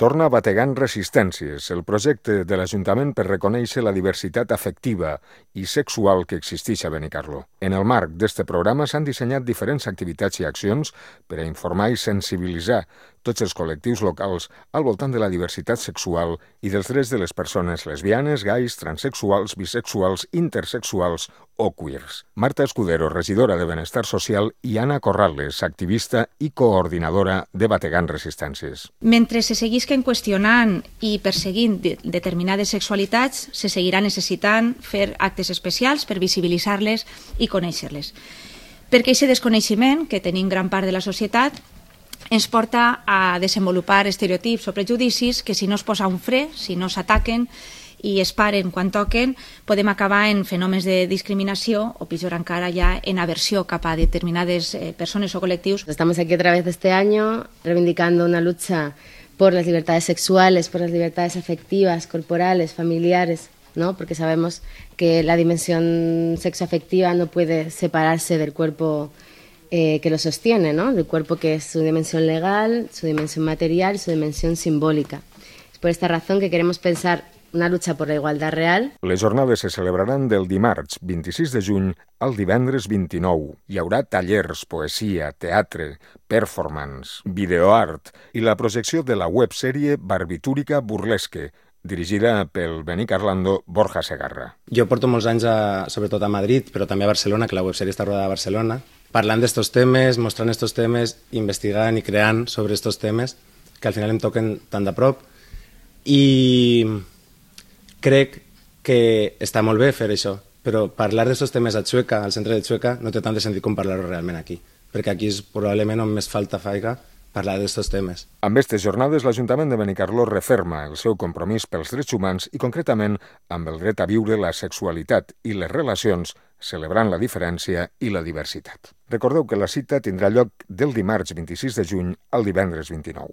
Torna Bategant Resistències, el projecte de l'Ajuntament per reconèixer la diversitat afectiva i sexual que existeix a Benicarló. En el marc d'este programa s'han dissenyat diferents activitats i accions per a informar i sensibilitzar tots els col·lectius locals al voltant de la diversitat sexual i dels drets de les persones lesbianes, gais, transexuals, bisexuals, intersexuals o queers. Marta Escudero, regidora de Benestar Social, i Anna Corrales, activista i coordinadora de Bategant Resistències. Mentre se seguisquen qüestionant i perseguint determinades sexualitats, se seguirà necessitant fer actes especials per visibilitzar-les i conèixer-les. Perquè aquest desconeixement que tenim gran part de la societat ens porta a desenvolupar estereotips o prejudicis que si no es posa un fre, si no s'ataquen i es paren quan toquen, podem acabar en fenòmens de discriminació o, pitjor encara, ja en aversió cap a determinades persones o col·lectius. Estamos aquí otra vez este año reivindicando una lucha por las libertades sexuales, por las libertades afectivas, corporales, familiares, ¿no? Porque sabemos que la dimensión sexoafectiva no puede separarse del cuerpo que lo sostiene, ¿no? Del cuerpo que es su dimensión legal, su dimensión material y su dimensión simbólica. Es por esta razón que queremos pensar una lucha por la igualdad real. Les jornades se celebraran del dimarts 26 de juny al divendres 29. Hi haurà tallers, poesia, teatre, performance, videoart i la projecció de la websèrie Barbitúrica Burlesque, dirigida pel benicarlando Borja Segarra. Jo porto molts anys, sobretot a Madrid, però també a Barcelona, que la websèrie està rodada a Barcelona, parlant d'estos temes, mostrant estos temes, investigant i creant sobre estos temes, que al final em toquen tan de prop. I crec que està molt bé fer això, però parlar d'aquests temes a Xueca, al centre de Xueca, no té tant de sentit com parlar-ho realment aquí, perquè aquí és probablement on més falta faiga parlar d'aquests temes. Amb aquestes jornades, l'Ajuntament de Benicarló referma el seu compromís pels drets humans i, concretament, amb el dret a viure la sexualitat i les relacions, celebrant la diferència i la diversitat. Recordeu que la cita tindrà lloc del dimarts 26 de juny al divendres 29.